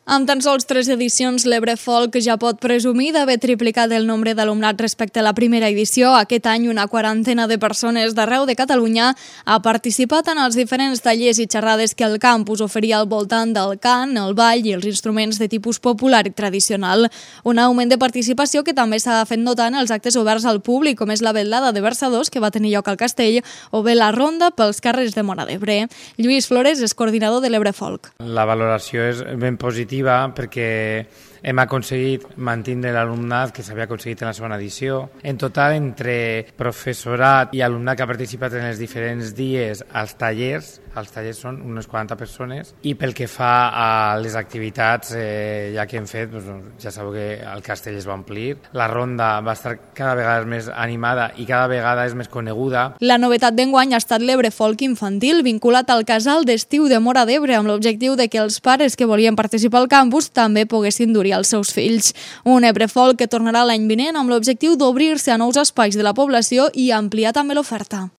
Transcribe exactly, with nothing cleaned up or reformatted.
Amb tan sols tres edicions, l'Ebre Folk ja pot presumir d'haver triplicat el nombre d'alumnat respecte a la primera edició. Aquest any, una quarantena de persones d'arreu de Catalunya ha participat en els diferents tallers i xerrades que el campus oferia al voltant del cant, el ball i els instruments de tipus popular i tradicional. Un augment de participació que també s'ha fet notar en els actes oberts al públic, com és la vetllada de versadors que va tenir lloc al Castell o bé la ronda pels carrers de Móra d'Ebre. Lluís Flores és coordinador de l'Ebre Folk. La valoració és ben positiva perquè hem aconseguit mantenir l'alumnat que s'havia aconseguit en la segona edició. En total, entre professorat i alumnat que ha participat en els diferents dies als tallers, els tallers són unes quaranta persones, i pel que fa a les activitats eh, ja que hem fet, doncs, ja sabeu que el castell es va omplir, la ronda va estar cada vegada més animada i cada vegada és més coneguda. La novetat d'enguany ha estat l'Ebre Folk infantil, vinculat al casal d'estiu de Móra d'Ebre, amb l'objectiu de que els pares que volien participar al campus també poguessin dur-hi els seus fills. Un Ebre Folk que tornarà l'any vinent amb l'objectiu d'obrir-se a nous espais de la població i ampliar també l'oferta.